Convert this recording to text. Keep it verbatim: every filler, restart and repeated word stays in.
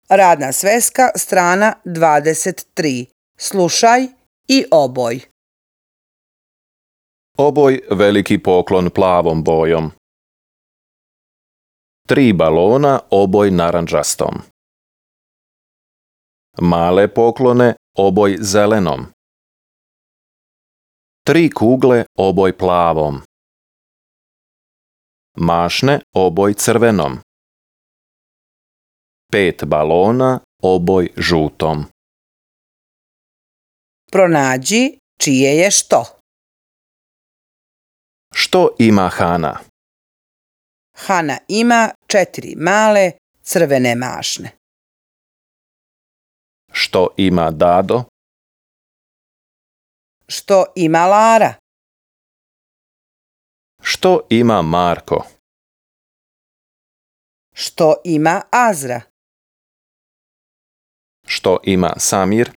Radna sveska, strana dvadeset tri. Slušaj i oboj. Oboj veliki poklon plavom bojom. Tri balona oboj narandžastom. Male poklone oboj zelenom. Tri kugle oboj plavom. Mašne oboj crvenom. Pet balona oboj žutom. Pronađi čije je što. Što ima Hana? Hana ima četiri male crvene mašne. Što ima Dado? Što ima Lara? Što ima Marko? Što ima Azra? Što ima Samir?